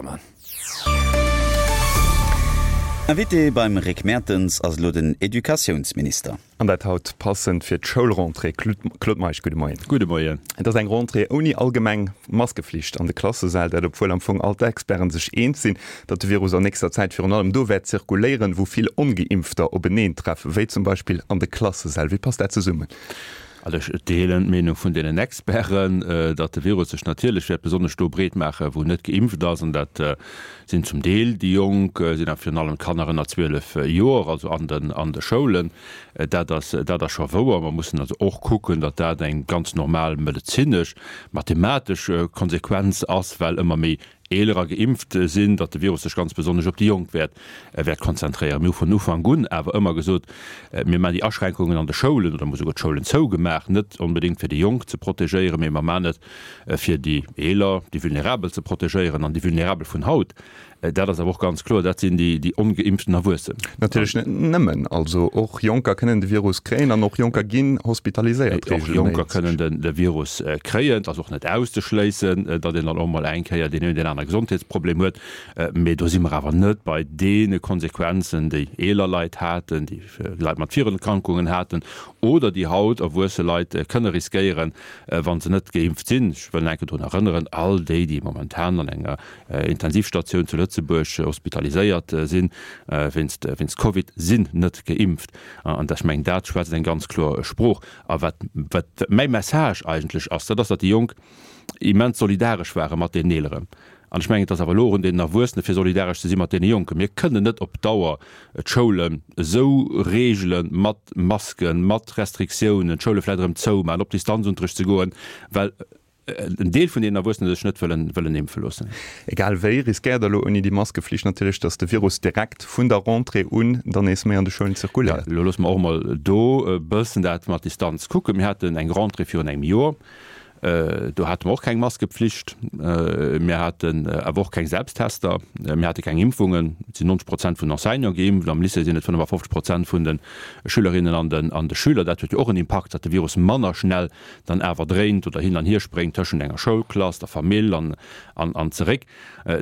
Hermann. Invité beim Rick Mertens ass elo den Educatiounsminister. An dat haut passend fir d'Schoulrentrée. Claude Meisch, gudde Moien. Gudde Moien. Et ass eng Rentrée ouni allgemeng Maskeflicht an de Klassesäll, dat obwuel am Fong all d'Experten sech eens sinn, datt de Virus an nächster Zäit virun allem do wäert zirkuléieren, wou vill Ongeimpfter openeentreffen, wéi zum Beispill an de Klassesäll. Wéi passt dat zesummen? Also ech deelen d'Meenung vun deenen Experten, datt de Virus sech natierlech wäert besonnesch do breet maachen, wou net geimpft ass. An dat sinn zum Deel déi Jonk, sinn awer virun allem d'Kanner ënner 12 Joer, also an den an de Schoulen. Dat ass dat ass scho wouer. Mer mussen also och kucken, datt dat eng ganz normal medezinesch, mathematesch Konsequenz ass, well ëmmer méi Eelerer geimpft sinn, datt de Virus sech ganz besonnesch op déi Jonk wäert wäert konzentréieren. Mir hu vun Ufank un awer ëmmer gesot, mir maachen déi Aschränkungen an de Schoulen oder mir hu souguer d'Schoulen zougemaach, net onbedéngt fir déi Jonk ze protegéieren, mee mer maachen et fir déi Eeler, déi Vulnerabel ze protegéieren. An déi Vulnerabel vun haut, dat ass awer och ganz kloer, dat sinn déi ongeimpften Erwuessen. Natierlech net nëmmen. Also och Jonker kënnen de Virus kréien an och Jonker ginn hospitaliséiert reegelméisseg. Och Jonker kënnen de Virus kréien. Et ass och net auszeschléissen, datt een dann och mol eng Kéier deen een oder deen anere Gesondheetsproblem huet. Mee do si mer awer net bei deene Konsequenzen, déi eeler Leit haten, déi Leit mat Virerkrankungen haten oder déi haut erwuesse Leit kënne riskéieren, wa se net geimpft sinn. Ech wëll nach eng Kéier drun erënneren, all déi, déi momentan an enger Intensivstatioun zu Lëtzebuerg hospitaliséiert sinn wéinst wéinst Covid, sinn net geimpft. An ech mengen, dat schwätzt eng ganz kloer Sprooch. A wat wat mäi Message eigentlech ass, dat ass, datt déi Jonk immens solidaresch ware mat deenen Eeleren. An ech mengen, et ass awer elo och un deenen Erwuessene fir solidaresch ze si mat deene Jonken. Mir kënnen net op Dauer d'Schoulen esou reegele mat Masken, mat Restriktiounen, d'Schoule vläicht erëm zoumaachen, op Distanzunterricht ze goen, well en Deel vun deenen Erwuessene sech net wëllen wëllen impfe loossen. Egal wéi, riskéiert Der elo ouni déi Maskeflicht natierlech, datt de Virus direkt vun der Rentrée un dann nees méi an de Schoulen zirkuléiert. Jo, elo loosse mer och emol do e bëssen dat mat Distanz kucken. Mir haten eng Rentrée virun engem Joer, do hate mer och keng Maskepflicht, mir haten awer och keng Selbsttester, mir hate keng Impfungen. Et sinn 90 Prozent vun den Enseignante geimpft, am Lycée sinn et 55 Prozent vun de Schülerinnen an de Schüler. Dat huet jo och en Impakt, datt de Virus manner schnell dann awer dréint oder hin an hier spréngt tëschent enger Schoulklass, der Famill an an zeréck,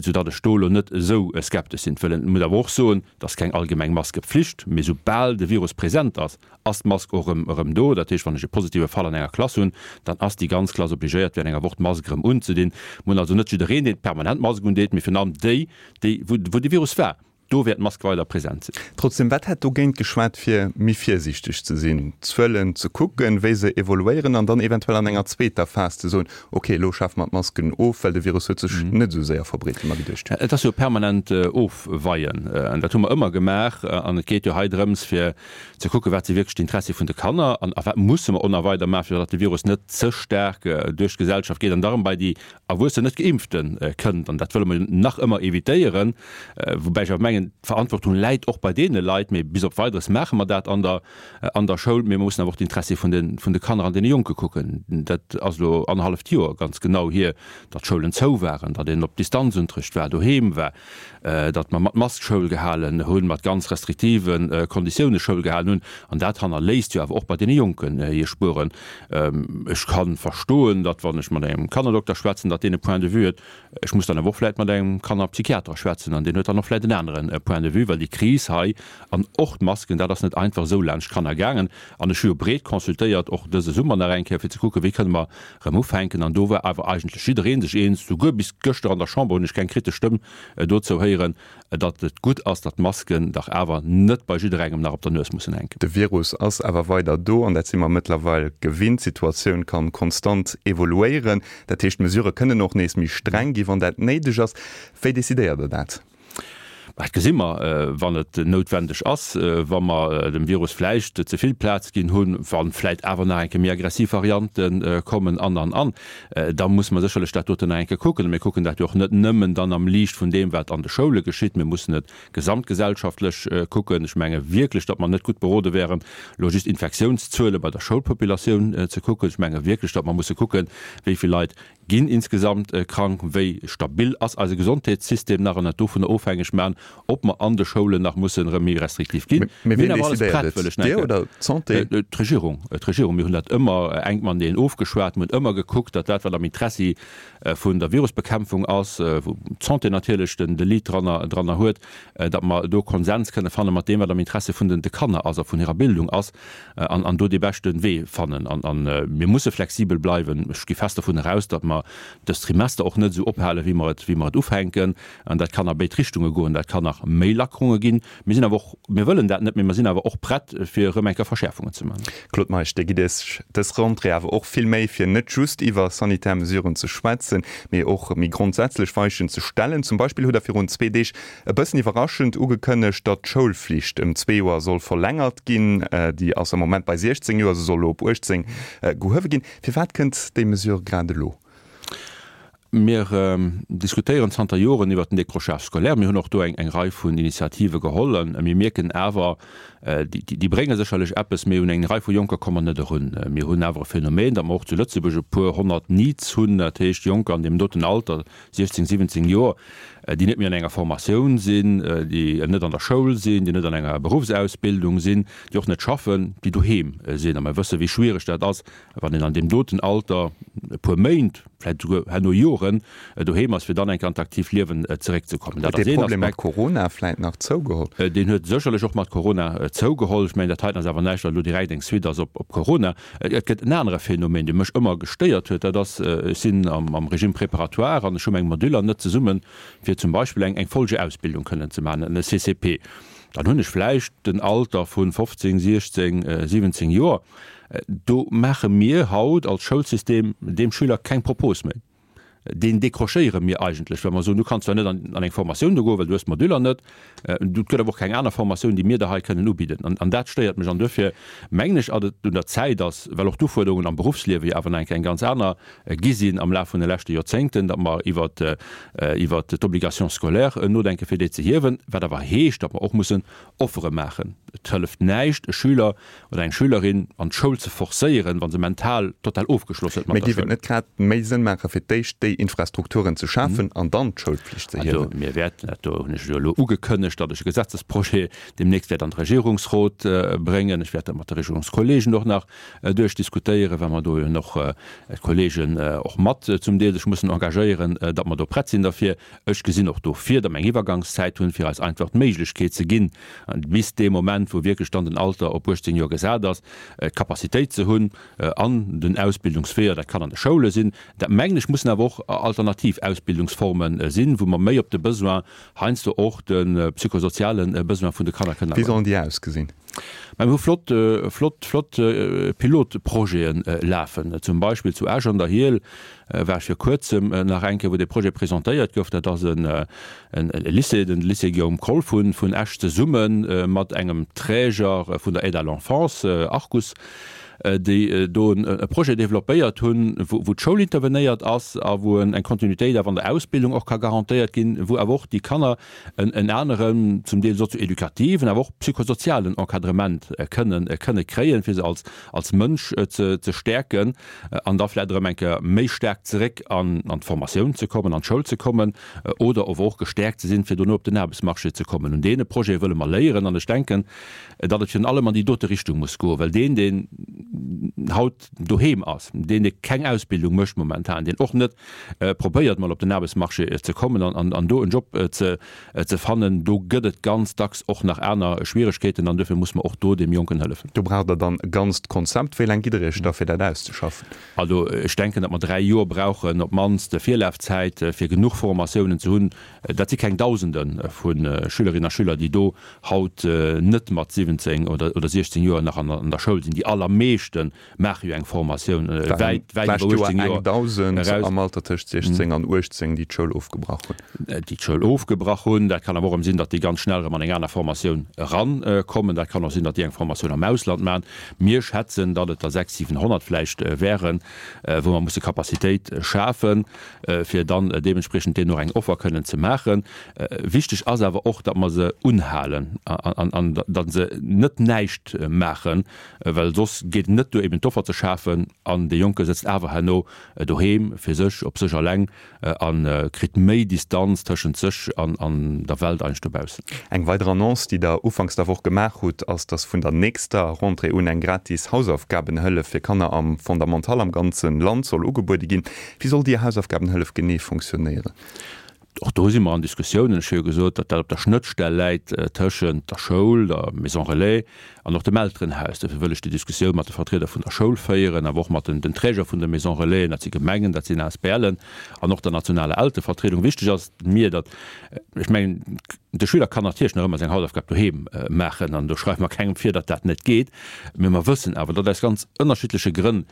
sou datt ech do elo net esou skeptesch sinn. Wëll et muss awer och soen, et ass keng allgemeng Maskepflicht, mee soubal de Virus present ass, ass d'Mask och erëm erëm do. Dat heescht, wann ech e positive Fall an enger Klass hunn, dann ass déi ganz Klass obligéiert, während enger Woch d'Mask erëm unzedinn. Mir hunn also net jiddereen, deen permanent d'Mask undeet, mee virun allem déi, déi wou wou de Virus war. Do wäert d'Mask weider present sinn. Trotzdem, wat hätt dogéint geschwat, fir méi virsiichteg ze sinn, d'Zuelen ze kucken, wéi se evoluéieren an dann eventuell an enger zweeter Phas ze soen, ok, elo schafe mer d'Masken of, well de Virus huet sech net esou séier verbreet, wéi mer geduecht hunn? Et ass jo permanent Ofweien. An dat hu mer ëmmer gemaach. An et geet jo hei drëms, fir ze kucken, wat si wierklech d'Interessie vun de Kanner an a wat musse mer on a weider maachen, fir datt de Virus net ze staark duerch d'Gesellschaft geet an da erëm bei déi Erwuessen net Geimpfte kënnt, an dat wëlle mer jo nach ëmmer evitéieren, woubäi ech awer mengen, d'Verantwortung läit och bei deene Leit, mee bis op Weideres maache mer dat an der an der Schoul, mee mer mussen awer och d'Interessie vun de vun de Kanner an deene Jonke kucken. Dat ass elo annerhalleft Joer ganz genau hier, datt d'Schoulen zou waren, datt een op Distanzunterricht war, doheem war. datt mer mat Mask Schoul gehalen hunn, mat ganz restriktive Konditioune Schoul gehalen hunn, an dat hannerléisst jo awer och bei deene Jonken hir Spueren. Ech ka verstoen, datt wann ech mat engem Kannerdokter schwätzen, datt deen e Point de vue huet. Ech muss dann awer och vläicht mat engem Kannerpsychiater schwätzen, an deen huet dann och vläicht en anere Point de vue, well déi Kris hei an och d'Masken, dat ass net einfach esou laanscht d'Kanner gaangen. An ech hu jo breet consultéiert, och dëse Summer nach eng Kéier, fir ze kucken, wéi kënne mer Rëm ufänken. An do war awer eigentlech jidderee sech eens, souguer bis gëschter an der Chamber hunn ech keng kritesch Stëmm dozou héieren, datt et gutt ass, datt d'Masken dach awer net bei jidderengem nach op der Nues mussen hänken. De Virus ass awer weider do an dat si mer mëttlerweil gewinnt. D'Situatioun kann konstant evoluéieren. Dat heescht, d'Mesurë kënnen och nees méi streng gi wann dat néideg ass. Wéi decidéiert Der dat? Dat gesi mer, wann et noutwendeg ass, wa mer dem Virus vläicht ze vill Plaz ginn hunn, wa vläicht awer nach eng Kéier méi aggressiv Variante kommen an, an, an. Da musse mer sécherlech dat doten nach eng Kéier kucken. A mir kucken dat jo och net nëmmen dann am Liicht vun deem, wat an de Schoule geschitt. Mir mussen et gesamtgesellschaftlech kucken. Ech menge wierklech, datt mer net gutt berode wären, elo just Infektiounszuele bei der Schoulpopulatioun ze kucken. Ech menge wierklech, datt mer musse kucken, wéi vill Leit Ginn insgesamt krank? Wéi stabil ass eise Gesondheetssystem nach an et dovunner ofhängeg maachen? ob mer an de Schoulen nach mussen erëm méi restriktiv ginn. Mee wien decidéiert et? Dir oder d'Santé? D'Regierung. D'Regierung. Mir hunn dat ëmmer enk mateneen ofgeschwat. Mir hunn ëmmer gekuckt, datt dat, wat am Interessi vun der Virusbekämpfung ass, wou d'Santé natierlech de Lead dranner dranner huet, datt mer do Konsens kënne fanne mat deem, wat am Interesse vun de Kanner ass a vun hirer Bildung ass, an an do dee beschte Wee fannen. An an mir musse flexibel bleiwen. Ech gi fest dovun eraus, datt mer dëst Trimester och net esou ophalen, wéi mer et wéi mer et ufänken. An dat kann a béid Richtunge goen. Dat kann nach méi Lackerunge ginn. Mir sinn awer och, mir wëllen dat net, mee mer sinn awer och prett, fir erëm eng Kéier Verschäerfungen ze maachen. Claude Meisch, Dir gitt Iech dës Rentrée awer och vill Méi, fir net just iwwer sanitär Mesuren ze schwätzen, mee och méi grondsätzlech Weichen ze stellen. Zum Beispill hutt Der virun zwee Deeg e bëssen iwwerraschend ugekënnegt, datt d'Schoulflicht ëm zwee Joer soll verlängert ginn. Déi ass am Moment bei 16 Joer, se soll elo op 18 gehuewe ginn. Firwat kënnt déi Mesure grad elo? Mir diskutéieren zanter Joren iwwert den Décrochage scolaire. Mir hunn och do eng Rei vun Initiative geholl. A mir mierken awer, déi brénge sécherlech eppes, mee un eng Rei vu Jonker komme mer net erun. Mir hunn awer e Phänomen, datt mer och zu Lëtzebuerg e puer 100 NEETs hunn, dat heescht Jonker an deem doten Alter, 16, 17 Joer, déi net méi an enger Formatioun sinn, déi net an der Schoul sinn, déi net an enger Beruffsausbildung sinn, déi och net schaffen, déi doheem sinn. A mer wësse wéi schwiereg dat ass, Wann een an deem doten Alter e puer Méint, vläicht esouguer herno Joren doheem ass, fir dann enk an d'aktiivt Liewen zeréckzekommen. Dat ass een Aspekt. Huet dee Problem mat Corona vläicht nach zougeholl? Deen huet sécherlech och mat Corona zougeholl. Ech mengen, dat heiten ass awer näischt, wat elo direkt eng Suite ass op Corona. Et gëtt en anere Phänomen, dee mech ëmmer gestéiert huet, dat ass, ech sinn am Régime préparatoire an ech hu meng Moduller net zesummen, fir zum Beispill eng Folgeausbildung kënnen ze maachen, e CCP. Dann hunn ech vläicht den Alter vu 15, 16, 17 Joer. Do maache mir haut als Schoulsystem deem Schüler keng Propos méi. Deen décrochéiere mir eigentlech, well mer soen, du kanns zwar net an eng Formatioun do goen, well du hues d'Moduller net, et gëtt awer och keng aner Formatioun, déi mir der hei kënnen ubidden. An dat stéiert mech. An duerfir mengen ech, datt et un der Zäit ass, well och d'Ufuerderungen am Beruffsliewe jo awer nach eng Kéier eng ganz aner gi sinn am Laf vun de leschte Joerzéngten, datt mer iwwert iwwert d'Obligation scolaire nodenken, fir déi ze hiewen, wat awer heescht, datt mer och mussen Offere maachen. Et hëlleft näischt, e Schüler oder eng Schülerin an d'Schoul ze forcéieren, wa se mental total ofgeschloss huet mat der Schoul. Mee géif et net grad méi Sënn maachen, fir d'éischt déi Infrastrukturen ze schafen an dann d'Schoulpflicht ze hiewen? Also mir wäerten dat, do hunn ech jo elo ugekënnegt, datt ech e Gesetzesprojet deemnächst wäert an de Regierungsrot bréngen. Ech wäert dat mat de Regierungskollegen och nach duerchdiskutéieren, well mer do jo och d'Kollegen och mat zum Deel sech mussen engagéieren, datt mer do prett sinn derfir. Ech gesinn och do vir, datt mer eng Iwwergangszäit hunn, fir eis einfach d'Méiglechkeet ze ginn, bis dee Moment, wou wierklech dann den Alter op 18 Joer gesat ass, d'Capacitéit ze hunn an den Ausbildungsweeër, dat kann an de Schoule sinn, dat mengen ech mussen awer och alternativ Ausbildungsforme sinn, wou mer méi op de Besoin, heiansdo och de psychosoziale Besoin vun de Kanner kënnen Wéi sollen déi ausgesinn? Mä mir hu flott, flott, flott Pilotprojete lafen. Zum Beispill zu Esch an der Hiehl war ech vir kuerzem nach eng Kéier, wou dee Projet presentéiert gouf. Dat ass e Lycée, den Lycée Guillaume Kroll vun Esch, zesumme mat engem Träger vun der Aide à l'enfance, Arcus, déi do e Projet développéiert hunn, wou d'Schoul intervenéiert ass a wou eng Kontinuitéit awer an der Ausbildung och ka garantéiert ginn, wou awer och déi Kanner en aneren, zum Deel sozio-edukativen, awer och psychosozialen Encadrement kënnen kënne kréien, fir se als als Mënsch ze ze stäerken an da vläicht erëm eng Kéier méi staark zeréck an an d'Formatioun ze kommen, an d'Schoul ze kommen oder ower och gestäerkt ze sinn, fir dono op den Aarbechtsmarché ze kommen. Un deene Projete wëlle mer léieren an ech denken, datt et virun allem an déi dote Richtung muss goen, well deen, deen haut doheem ass, deen, dee keng Ausbildung mécht momentan, deen och net probéiert mol op den Aarbechtsmarché ze kommen an do en Job ze fannen, do gëtt et ganz dacks och nach aner Schwieregkeeten an duerfir muss mer och do deem Jonken hëllefen. Do braucht Der dann e ganzt Konzept. Wéi laang gitt Der Iech da fir dat auszeschaffen? Also ech denken, datt mer 3 Joer brauchen op d'mannst Virlafzäit, fir genuch Formatiounen ze hunn. Dat si keng Dausende vu Schülerinnen a Schüler, déi do haut net mat 17 oder 16 Joer nach an der Schoul sinn. Déi allermeeschte maache jo eng Formatioun wäit, wäit iwwer 18 Joer eraus. Am Alter tëscht 16 an 18, déi d'Schoul ofgebrach hunn. Déi d'Schoul ofgebrach hunn. Dat kann awer och erëm sinn, datt déi ganz schnell erëm an eng aner Formatioun erankommen. Dat kann och sinn, datt déi eng Formatioun am Ausland maachen. Mir schätzen, datt et der 600, 700 vläicht wären, wou mer musse Capacitéit schafen, fir dann deementspriechend deenen och eng Offer kënnen ze maachen. Wichteg ass awer och, datt mer se unhalen an datt se net näischt maachen, well soss geet. net duer eben d'Offer ze schafen an dee Jonke sëtzt awer herno doheem fir sech, op sech alleng a kritt méi Distanz tëschent sech an der Welt eigentlech dobaussen. Eng weider Annonce, déi Der ufanks der Woch gemaach hutt, ass, dass vun der nächster Rentrée un eng gratis Hausaufgabenhëllef fir Kanner am Fondamental am ganze Land soll ugebuede ginn. Wéi soll déi Hausaufgabenhëllef genee funktionéieren? Och do si mer an Diskussiounen. Ech hu jo gesot, datt dat op der Schnëttstell läit tëschent der Schoul, der Maison Relais an och dem Elterenhaus. Dofir wëll ech déi Diskussioun mat de Vertrieder vun der Schoul féieren, awer och mat den Träger vun de Maison Relaisen, dat si Gemengen, dat sinn ASBLen an och der nationaler Elterevertriedung. Wichteg ass mir, datt, ech mengen, de Schüler kann natierlech nach ëmmer seng Hausaufgab doheem maachen an do schreiwe mer kengem vir, datt dat net geet. Mee mer wëssen awer, datt aus ganz ënnerschiddleche Grënn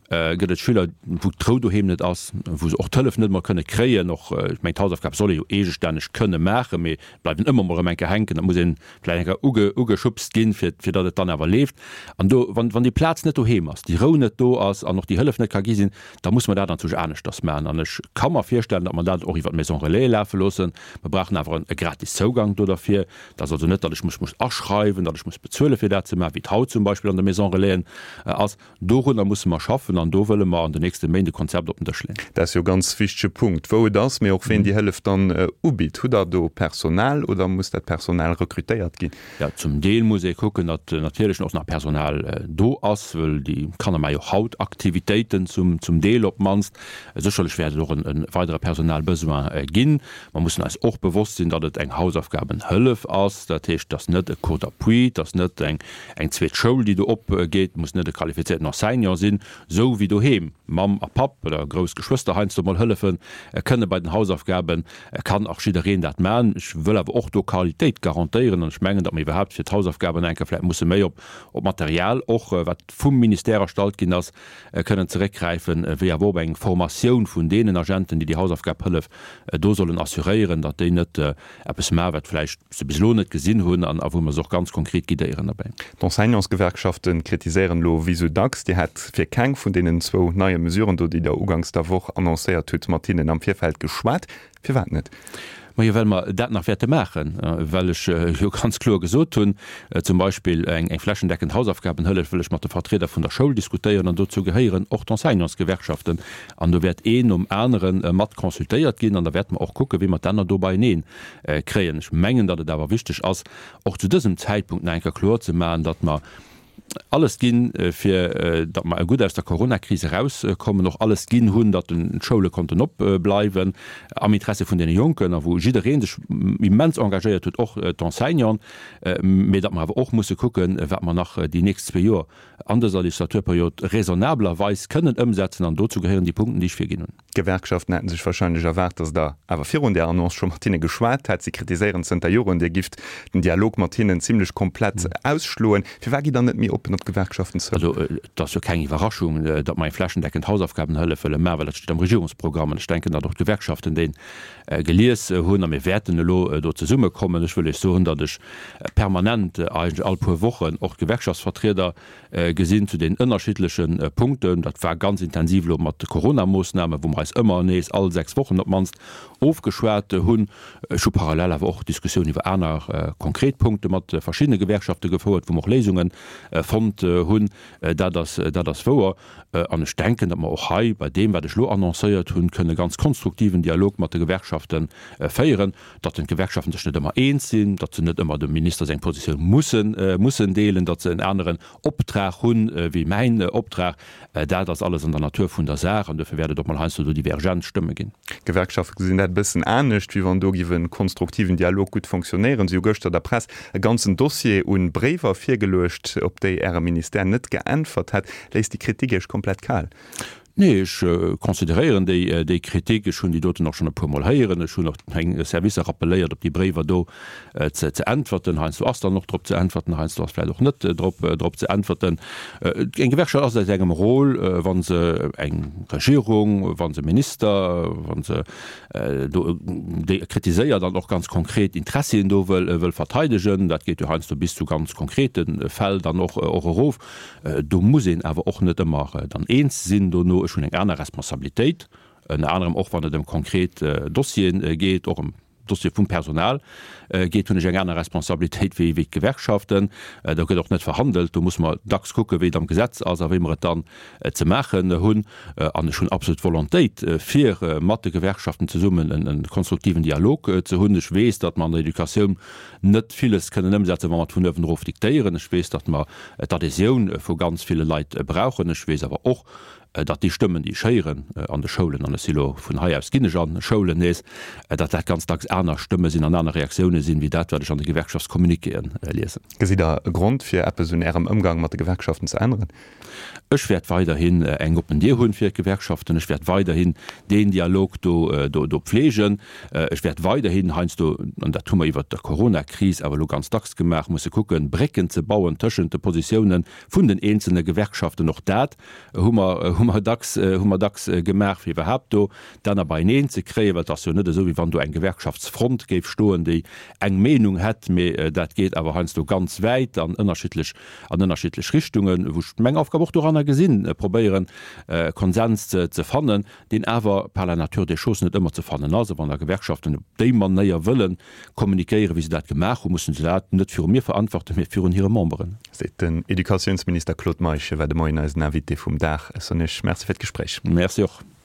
Gëtt et Schüler, wou d'Rou doheem net ass, wou se och d'Hëllef net emol kënne kréien? Och, ech mengen, d'Hausaufgab soll ee jo eegestänneg kënne maachen, mee et bleiwen ëmmer mol erëm eng Kéier hänken. Dat muss een vläicht eng Kéier uge, ugeschubst ginn, fir, fir datt et dann awer leeft. An do, wann, wann déi Plaz net doheem ass, déi Rou net do ass an och déi Hëllef net ka gi sinn, da muss mer dat anzwousch aneschters maachen. An ech ka mer virstellen, datt mer dat och iwwer d'Maison Relais lafe loossen. Mer brauchen awer e gratis Zougang do derfir. Dat ass also net, datt ech mech muss aschreiwen, datt ech muss bezuelen, fir dat ze maachen, wéi et haut zum Beispill an de Maison Relaisen ass. Dorunner musse mer schaffen an do wëlle mer an den nächste Méint e Konzept op den Dësch leeën. Dat ass jo e ganz wichtege Punkt, wou et ass, mee och ween déi Hëllef dann ubitt. Hutt Der do Personal oder muss dat Personal rekrutéiert ginn? Jo, zum Deel muss ee kucken, datt natierlech och nach Personal do ass, wëll déi Kanner maache jo och haut Aktivitéiten, zum Deel op d'mannst. Sécherlech wäert et och e weidere Personalbesoin ginn. Mer mussen eis och bewosst sinn, datt et eng Hausaufgabenhëllef ass. Dat heescht, et ass net e Cours d'appui, et ass net eng zweet Schoul, déi do opgeet, et muss net e qualifizierten Enseignant sinn, esou wéi doheem Mamm a Papp oder grouss Geschwëster heiansdo mol hëllefe kënne bei den Hausaufgaben, kann och jiddereen dat maachen. Ech wëll awer och do Qualitéit garantéieren an ech mengen, datt mer iwwerhaapt fir d'Hausaufgaben eng Kéier vläicht musse méi op Material och, wat vum Ministère erstallt ginn ass, kënnen zeréckgräifen, wéi awer och op eng Formatioun vun deenen Agenten, déi déi Hausaufgabhëllef do sollen assuréieren, datt déi net eppes maachen, wat vläicht se bis elo net gesinn hunn an a wou mer se och ganz konkret guidéieren derbäi. D'Enseignantsgewerkschafte kritiséieren elo wéi sou dacks, Dir hätt fir keng vun deenen zwou neie Mesuren do, déi Der uganks der Woch annoncéiert hutt, mat hinnen am Virfeld geschwat. Firwat net? Majo, well mer dat nach wäerte maachen, well ech jo ganz kloer gesot hunn, zum Beispill eng flächendeckend Hausaufgabenhëllef wëll ech mat de Vertrieder vun der Schoul diskutéieren an dozou gehéieren och d'Enseignantsgewerkschaften. An do wäert een nom anere mat consultéiert ginn an da wäerte mer och kucken, wéi mer d'Enner do beienee kréien. Ech mengen, datt et awer wichteg ass, och zu dësem Zäitpunkt nach eng Kéier kloer ze maachen, datt mer alles ginn, fir datt mer gutt aus der Coronakris erauskommen, och alles ginn hunn, datt d'Schoule konnten opbleiwen am Interesse vun deene Jonken a wou jidderee sech immens engagéiert huet, och d'Enseignanten, mee datt mer awer och musse kucken, wat mer nach déi nächst zwee Joer an dëser Legislaturperiod raisonnablerweis kënnen ëmsetzen an dozou gehéieren déi Punkten, déi ech virginn hunn. D'Gewerkschaften hätten sech warscheinlech erwaart, datt Der awer virun där Annonce scho mat hinne geschwat hätt. Si kritiséieren zënter Joren, Dir gifft den Dialog mat hinnen zimlech komplett ausschloen. Firwat gitt Der net méi oppen op d'Gewerkschaften zou? Also et ass jo keng Iwwerraschung, datt mer eng flächendeckend Hausaufgabenhëllef wëlle maachen, well dat steet am Regierungsprogramm. An ech denken, datt och d'Gewerkschaften dee gelies hunn. A mir wäerten elo do zesummekommen. Ech wëll Iech soen, datt ech permanent, eigentlech all puer Wochen, och d'Gewerkschaftsvertrieder gesinn zu den ënnerschiddleche Punkten. Dat war ganz intensiv elo mat de Coronamoossnamen, wou mer eis ëmmer nees all 6 Wochen op d'mannst ofgeschwat hunn. Ech hu parallel awer och Diskussioun iwwer aner konkret Punkte mat verschiddene Gewerkschafte gefouert, wou mer och Léisunge fonnt hunn. Dat ass, dat ass wouer. An ech denken, datt mer och hei bei deem, wat ech elo annoncéiert hunn, kënne ganz konstruktiven Dialog mat de Gewerkschafte féieren. Datt den d'Gewerkschaften sech net ëmmer eens sinn, datt se net ëmmer dem Minister seng Positioun mussen, mussen deelen, datt se en aneren Optrag hunn wéi mäin Optrag, dat ass alles an der Natur vun der Saach an duerfir wäert et och mol heiansdo do divergent Stëmme ginn. D'Gewerkschafte gesinn dat e bëssen anescht, wéi wann do giff e konstruktiven Dialog gutt fonctionnéieren. Si hu gëschter der Press e ganzen Dossier un Bréiwer virgeluecht, op déi Äre Ministère net geäntwert hätt. Léisst déi Kritik Iech komplett kal? Nee, ech consideréieren déi Kritik. Ech hunn déi doten och schonn e puermol héieren. Ech hunn och meng Servicer rappelléiert, op déi Bréiwer do ze äntwerten. Heiansdo ass dann och drop ze äntwerten, heiansdo ass vläicht och net drop drop ze äntwerten. Eng Gewerkschaft ass a sengem Rôle, wa se eng Regierung, wa se Minister, wa se do déi kritiséiert an och ganz konkret Interessien do wëll wëll verteidegen. Dat geet jo heiansdo bis zu ganz konkrete Fäll dann och och erof. Do muss een awer och net ëmmer dann eens sinn dono. Ech hunn eng aner Responsabilitéit, ënner anerem och wann et ëm konkret Dossiere geet, och ëm. Dossier vum Personal geet, hunn ech eng aner Responsabilitéit wéi d'Gewerkschaften. Do gëtt och net verhandelt. Do musse mer dacks kucken, wéi et am Gesetz ass a wéi mer et dann ze maachen hunn. An ech hunn absolut d'Volontéit, fir mat de Gewerkschaften zesummen e konstruktiven Dialog ze hunn. Ech weess, datt mer an der Educatioun net villes kënnen ëmsetzen, wa mer et vun uewen erof diktéieren. Ech weess, datt mer d'Adhésioun vu ganz ville Leit brauchen. Ech weess awer och, datt déi Stëmmen, déi ech héieren an de Schoulen, an ech si lo vun hei aus ginn ech an Schoulen nees, datt dat ganz dacks aner Stëmme sinn an aner Reaktioune sinn, wéi dat, wat ech an de Gewerkschaftscommuniquéen liesen. Gesitt Der e Grond, fir eppes un Ärem Ëmgang mat de Gewerkschaften ze änneren? Ech wäert weiderhin eng oppen Dier hunn fir d'Gewerkschaften. Ech wäert weiderhin deen Dialog do do pflegen. Ech wäert weiderhin heiansdo, an dat hu mer iwwert der Coronakris awer elo ganz dacks gemaach, musse kucken, Brécken ze bauen tëschent de Positioune vun den eenzelne Gewerkschaften. Och dat hu mer hu mer dacks hu mer dacks gemaach, fir iwwerhaapt do d'Enner beieneen ze kréien, well et ass jo net esou, wéi wann do eng Gewerkschaftsfront géif stoen, déi eng Meenung hätt, mee dat geet awer heiansdo ganz wäit an ënnerschiddlech an ënnerschiddlech Richtungen, wou ech meng Aufgab och doranner gesinn, probéieren Konsens ze fannen, deen awer par la nature des choses net ëmmer ze fannen ass. A wann da Gewerkschaften op déi Manéier wëlle kommunikéieren, wéi se dat gemaach hunn, mussen se dat net viru mir verantworten, mee virun hire Memberen. Seet den Educatiounsminister Claude Meisch. Hie war de Moien eisen Invité vum Dag. Ech soen Iech Merci fir d'Gespréich. Merci och.